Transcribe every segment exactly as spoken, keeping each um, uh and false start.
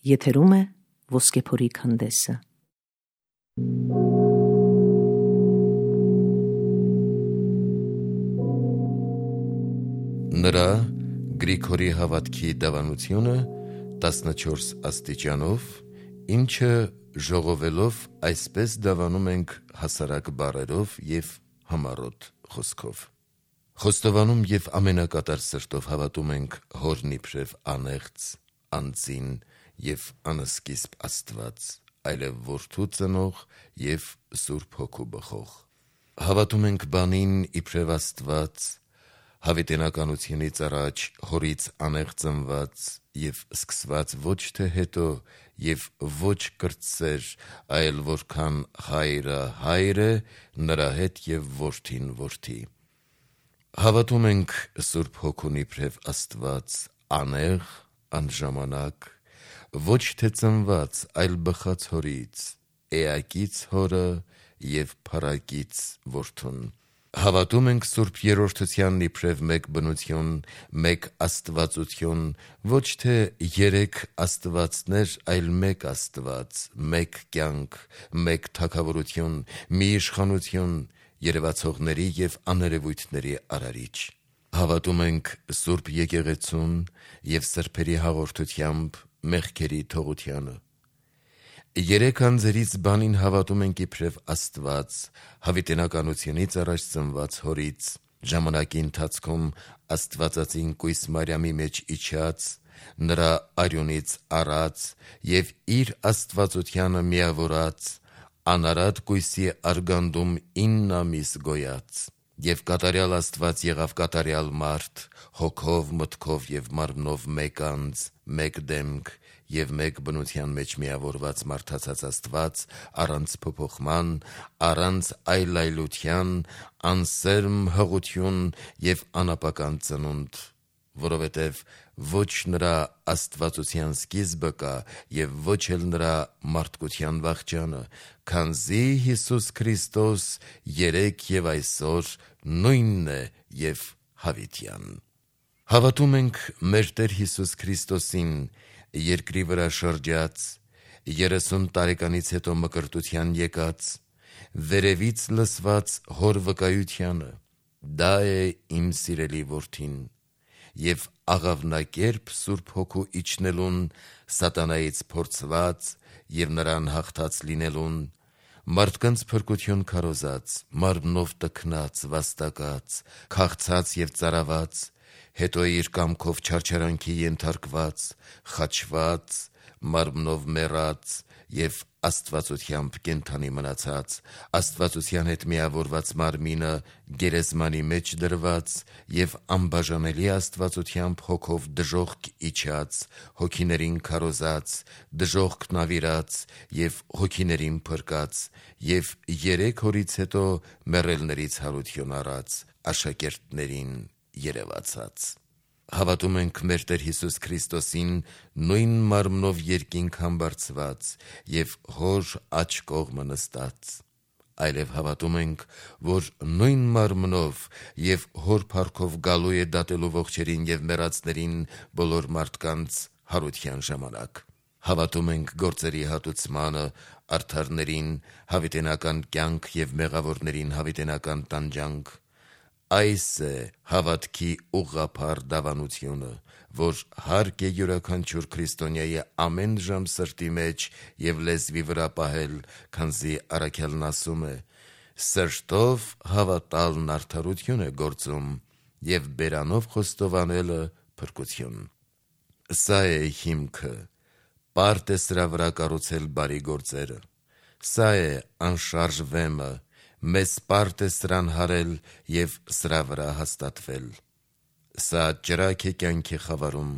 Եթերում է Ոսկեփորի քանդեսը։ Նրա Գրիգորի հավատքի դավանությունը տասնչորս աստիճանով, ինչը ժողովելով այսպես դավանում ենք հասարակ բառերով և համառոտ խոսքով։ Խոստովանում և ամենակատար սրտով հավատում ենք Հորն իբրև անեղծ, անձին և անսկիզբ Աստված, այլև Որդու ծնող և Սուրբ Հոգու բխող։ Հավատում ենք բանին իբրև Աստված, հավիտենականությունից առաջ Հորից անեղծ ծնված և սկսված ոչ թե հետո և ոչ կրտսեր, այլ որքան Հայրը Հայր է, նրա հետ և Որդին Որդի։ Հավատում ենք Սուրբ Հոգուն իբրև Աստված, անեղ, անժամանակ, ոչ թե ծնված, այլ բխած Հորից, էակից Հորը և փառակից Որդուն։ Հավատում ենք Սուրբ Երրորդությանն իբրև մեկ բնություն, մեկ աստվածություն, ոչ թե երեք աստվածներ, այլ մեկ Աստված, մեկ կյանք, մեկ թագավորություն, մի իշխանություն, երևացողների և աներևույթների Արարիչ։ Հավատում ենք Սուրբ Եկեղեցուն և սրբերի հաղորդությամբ մեղքերի թողությանը։ Երեք անձերից բանին հավատում ենք իբրև Աստված, հավիտենականությունից առաջ ծնված Հորից, ժամանակի ընթացքում Աստվածածին կույս Մարիամի մեջ իջած, նրա արյունից առած և իր աստվածությանը միավորած, անարատ կույսի արգանդում ինն ամիս գոյած, և կատարյալ Աստված եղավ կատարյալ մարդ, հոգով, մտքով և մարմնով մեկ անձ, մեկ դեմք և մեկ բնության մեջ միավորված մարդացած Աստված, առանց փոփոխման, առանց այլայլության, անսերմ հղություն և անապական ծնունդ, որովհետև ոչ նրա աստվածության սկիզբը կա և ոչ էլ նրա մարդկության վախճանը, քանզի Հիսուս Քրիստոս երեկ և այսօր նույնն է և հավիտյան։ Հավատում ենք մեր Տեր Հիսուս Քրիստոսին, երկրի վրա շրջած, երեսուն տարեկանից հետո մկրտության եկած, վերևից լսված Հոր վկայությանը, դա է իմ սիրելի Որդին, և աղավնակերպ Սուրբ Հոգու իջնելուն, սատանայից փորձված և նրան հաղթած լինելուն, մարդկանց փրկություն քարոզած, մարմնով տքնած, վաստակած, քաղցած և ծարաված, հետո իր կամքով չարչարանքի ենթարկված, խաչված, մարմնով մեռած և աստվածությամբ կենդանի մնացած, Աստվածության հետ միավորված մարմինը գերեզմանի մեջ դրված և անբաժանելի աստվածությամբ Հոգով դժոխք իջած, հոգիներին քարոզած, դժոխք նավիրած և հոգիներին փրկած և երեք օրից հետո մեռելներից հարություն առած, աշակերտներին երևացած։ Հավատում ենք մեր Տեր Հիսուս Քրիստոսին նույն մարմնով երկինք համբարձված և Հոր աջ կողմը նստած։ Այլև հավատում ենք, որ նույն մարմնով և Հոր փառքով գալու է դատելու ողջերին և մեռածներին բոլոր մարդկանց հարության ժամանակ։ Հավատում ենք գործերի հատուցմանը, արդարներին հավիտենական կյանք և մեղավորներին հավիտենական տանջանք։ Այս է հավատքի ուղղափառ դավանությունը, որ հարկ է յուրաքանչյուր քրիստոնյայի ամեն ժամ սրտի մեջ և լեզվի վրա պահել, քանզի առաքյալն ասում է. «Սրտով հավատալն արդարություն է գործում, և բերանով խոստովանելը փրկություն»։ Սա է հիմքը, պարտ է սրա վրա կառուցել բարի գործերը։ Սա է անշարժ վեմը, մեզ պարտ է սրան հարել և սրա վրա հաստատվել։ Սա ճրագ է կյանքի խավարում,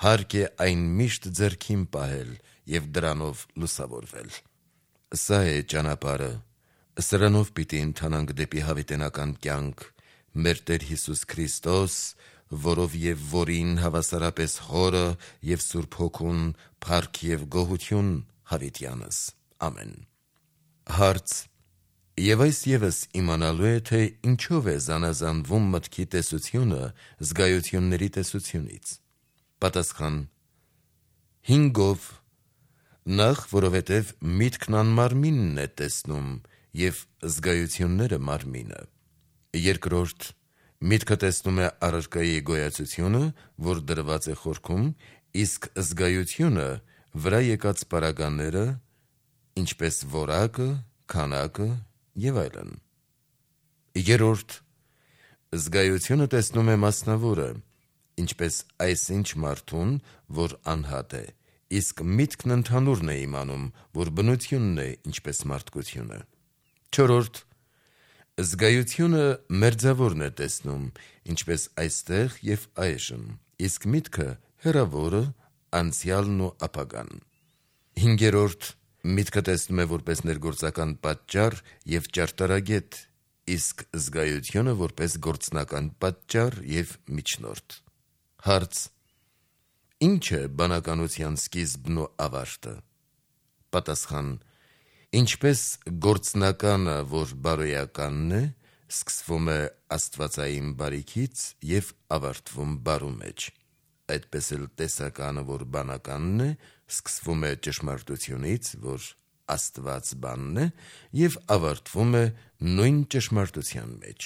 հարկ է այն միշտ ձեռքին պահել և դրանով լուսավորվել։ Սա է ճանապարհը, սրանով պիտի ընթանանք դեպի հավիտենական կյանք, մեր Տեր Հիսուս Քրիստոս, որով և որին հավասարապես Հորը և Սուրբ Հոգուն փառք և գոհություն հավիտյանս։ Ամեն։ Հարց. Եվ այս ևս իմանալու է, թե ինչով է զանազանվում մտքի տեսությունը զգայությունների տեսությունից։ Պատասխան. Հինգով, Նախ, որովհետև միտքն անմարմինն է տեսնում և զգայությունները մարմինը։ Երկրորդ, միտքը տեսնում է առարկայի գոյացությունը, որ դրված է խորքում, իսկ զգայությունը վրա եկած պարագաները, ինչպես որակը, քանակը և այլն։ Երրորդ, զգայությունը տեսնում է մասնավորը, ինչպես այսինչ մարդուն, որ անհատ է, իսկ միտքն ընդհանուրն է իմանում, որ բնությունն է, ինչպես մարդկությունը։ Չորրորդ, զգայությունը մերձավորն է տեսնում, ինչպես այստեղ և այժմ, իսկ միտքը հեռավորը, անցյալն ու ապագան։ Հինգերորդ, միտքը տեսնում է որպես ներգործական պատճառ և ճարտարագետ, իսկ զգայությունը որպես գործնական պատճառ և միջնորդ։ Հարց. ի՞նչ է բանականության սկիզբն ու ավարտը։ Պատասխան. ինչպես գործնականը, որ բարոյականն է, սկսվում է աստվածային բարիքից և ավարտվում բարու մեջ, այդպես էլ տեսականը, որ բանականն է, սկսվում է ճշմարտությունից, որ Աստված բանն է, և ավարտվում է նույն ճշմարտության մեջ։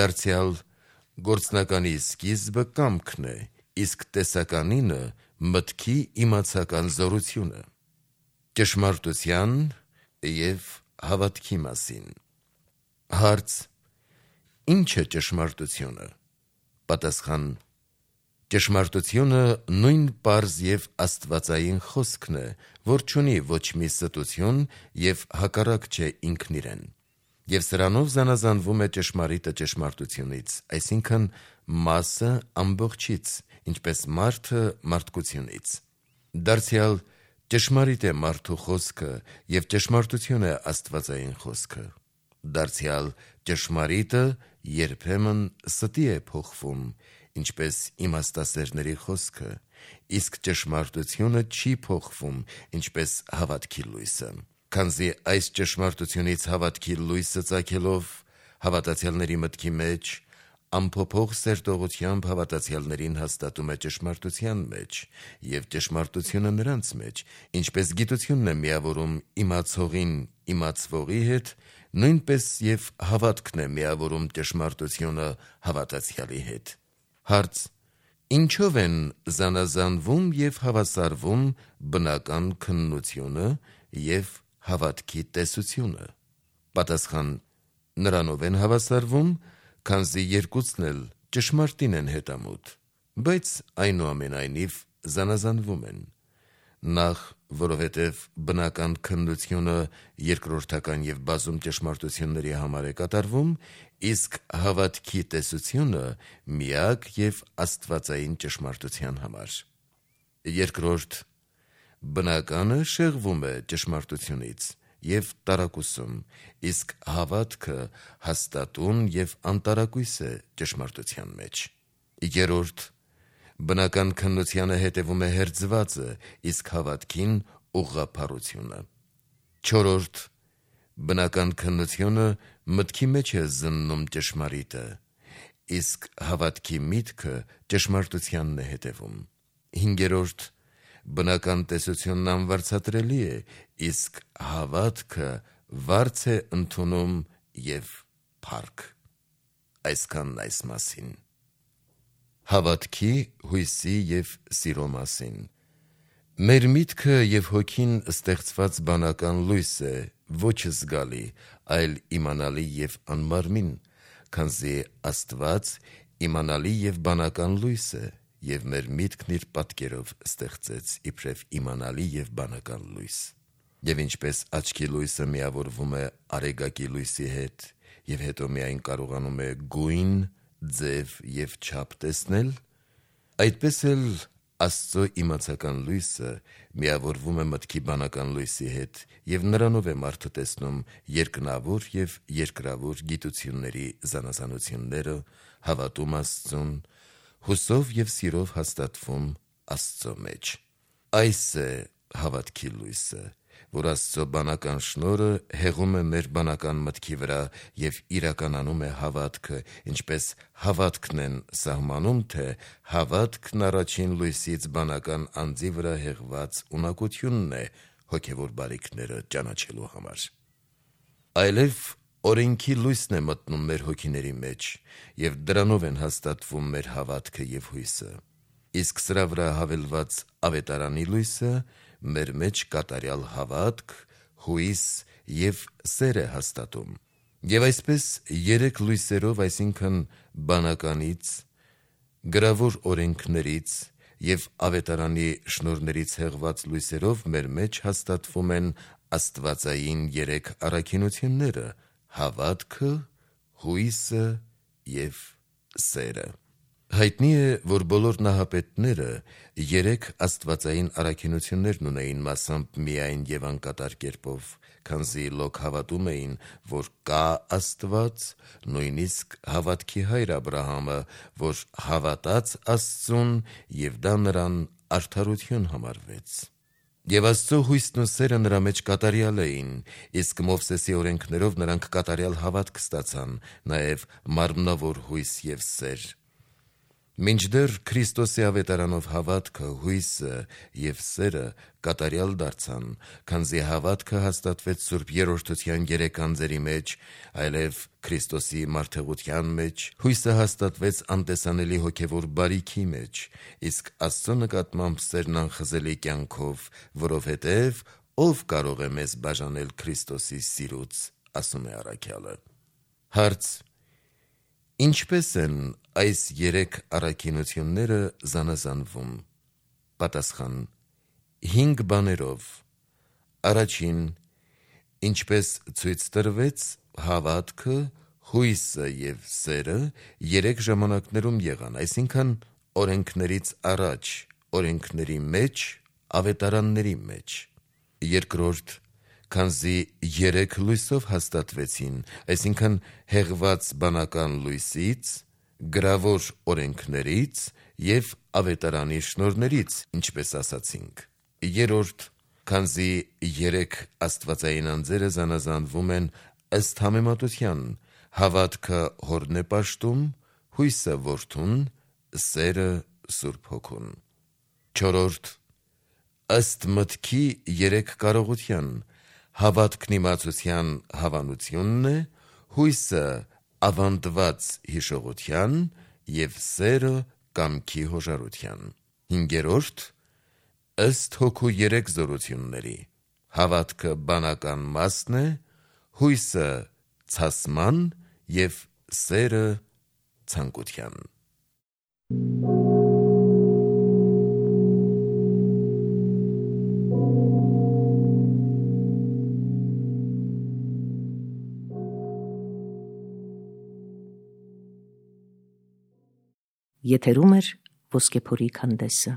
Դարձյալ գործնականի սկիզբը կամքն է, իսկ տեսականինը մտքի իմացական զորությունը։ Ճշմարտության և հավատքի մասին։ Հարց. ի՞նչ է ճշմարտությունը։ Պատասխան. ճշմարտությունը նույն պարզ և աստվածային խոսքն է, որ չունի ոչ մի ստություն և հակառակ չէ ինքն իրեն, և սրանով զանազանվում է ճշմարիտը ճշմարտությունից, այսինքն մասը ամբողջից, ինչպես մարդը մարդկությունից։ Դարձյալ ճշմարիտ է մարդու խոսքը և ճշմարտություն է աստվածային խոսքը։ Դարձյալ ճշմարիտը երբեմն ստի է փոխվում, ինչպես իմաստասերների խոսքը, իսկ ճշմարտությունը չի փոխվում, ինչպես հավատքի լույսը, քանզի այս ճշմարտությունից հավատքի լույսը ծագելով հավատացյալների մտքի մեջ, անփոփոխ սերտողությամբ հավատացյալներին հաստատում է ճշմարտության մեջ, և ճշմարտությունը նրանց մեջ, ինչպես գիտությունն է միավորում իմացողին իմացվողի հետ, նույնպես և հավատքն է միավորում ճշմարտությունը հավատացյալի հետ։ Հարց. ինչո՞վ են զանազանվում և հավասարվում բնական քննությունը և հավատքի տեսությունը։ Պատասխան. նրանով են հավասարվում, քանզի երկուսն էլ ճշմարտին են հետամուտ, բայց այնուամենայնիվ զանազանվում են։ Նախ, որովհետև բնական քննությունը երկրորդական և բազում ճշմարտությունների համար է կատարվում, իսկ հավատքի տեսությունը միակ և աստվածային ճշմարտության համար։ Երկրորդ, բնականը շեղվում է ճշմարտությունից և տարակուսում, իսկ հավատքը հաստատուն և անտարակույս է ճշմարտության մեջ։ Երրորդ, բնական քննությանը հետևում է հերձվածը, իսկ հավատքին ուղղափառությունը։ Չորրորդ, բնական քննությունը մտքի մեջ է զննում ճշմարիտը, իսկ հավատքի միտքը ճշմարտությանն է հետևում։ Հինգերորդ, բնական տեսությունն անվարձատրելի է, իսկ հավատքը վարձ է ընդունում և փառք։ Այսքանն այս մասին։ Հավատքի, հույսի և սիրո մասին։ Մեր միտքը և հոգին ստեղծված բանական լույս է, ոչ զգալի, այլ իմանալի և անմարմին, քանզի Աստված իմանալի և բանական լույս է, և մեր միտքն իր պատկերով ստեղծեց իբրև իմանալի և բանական լույս։ Եվ ինչպես աչքի լույսը միավորվում է արեգակի լույսի հետ և հետո միայն կարողանում է գույն, ձև և չափ տեսնել, այդպես էլ Աստծո իմացական լույսը միավորվում է մտքի բանական լույսի հետ և նրանով է մարդը տեսնում երկնավոր և երկրավոր գիտությունների զանազանությունները, հավատում Աստծուն, հուսով և սիրով հաստատվում Աստծո մեջ։ Այս է հավատքի լույսը, որ Աստծո բանական շնորհը հեղում է մեր բանական մտքի վրա եւ իրականանում է հավատքը, ինչպես հավատքն են սահմանում, թե հավատքն առաջին լույսից բանական անձի վրա հեղված ունակությունն է հոգեվոր բարիքները ճանաչելու համար։ Այլև օրենքի լույսն է մտնում մեր հոգիների մեջ, եւ դրանով են հաստատվում մեր հավատքը եւ հույսը։ Իսկ սրա վրա հավելված ավետարանի լույսը մեր մեջ կատարյալ հավատք, հույս եւ սեր է հաստատում։ Եվ այսպես երեք լույսերով, այսինքն բանականից, գրավոր օրենքներից եւ ավետարանի շնորհներից հեղված լույսերով մեր մեջ հաստատվում են աստվածային երեք առաքինությունները՝ հավատքը, հույսը եւ սերը։ Հայտնի է, որ բոլոր նահապետները երեք աստվածային առաքինություններն ունեին մասամբ միայն եւ անկատար կերպով, քանզի լոկ հավատում էին, որ կա Աստված, նույնիսկ հավատքի հայր Աբրահամը, որ հավատաց Աստծուն եւ դա նրան արդարություն համարվեց։ Եվ Աստծո հույսն ու սերը նրա մեջ կատարյալ էին, իսկ Մովսեսի օրենքներով նրանք կատարյալ հավատք ստացան, նաեւ մարմնավոր հույս եւ սեր։ Մինչդեռ Քրիստոսի ավետարանով հավատքը, հույսը եւ սերը կատարյալ դարձան, քանզի հավատքը հաստատվեց Սուրբ Երրորդության երեք անձերի մեջ, այլև Քրիստոսի մարդեղության մեջ, հույսը հաստատվեց անտեսանելի հոգևոր բարիքի մեջ, իսկ Աստծո նկատմամբ սերն անխզելի կյանքով, որովհետև ով կարող է մեզ բաժանել Քրիստոսի սիրուց, ասում է առաքյալը։ Հարց. ինչպես են այս երեք առաքինությունները զանազանվում։ Պատասխան. հինգ բաներով։ Առաջին, ինչպես ցույց տրվեց, հավատքը, հույսը եւ սերը երեք ժամանակներում եղան, այսինքն օրենքներից առաջ, օրենքների մեջ, ավետարանների մեջ։ Երկրորդ, քանզի երեք լույսով հաստատվեցին, այսինքն հեղված բանական լույսից, գրավոր օրենքներից եւ ավետարանի շնորհներից, ինչպես ասացինք։ Երրորդ, քանզի երեք աստվածային անձերը զանազանվում են ըստ համեմատության, հավատքը Հորն է պաշտում, հույսը Որդուն, սերը Սուրբ Հոգուն։ Չորրորդ, ըստ մտքի երեք կարողության, հավատքն իմացության հավանությունն է, հույսը ավանդված հիշողության եւ սերը կամքի հոժարության։ Հինգերորդ, ըստ Հոգու երեք զորությունների, հավատքը բանական մասն է, հույսը ցասման եւ սերը ցանկության։ Եթերում է Ոսկեփորի քանդեսը։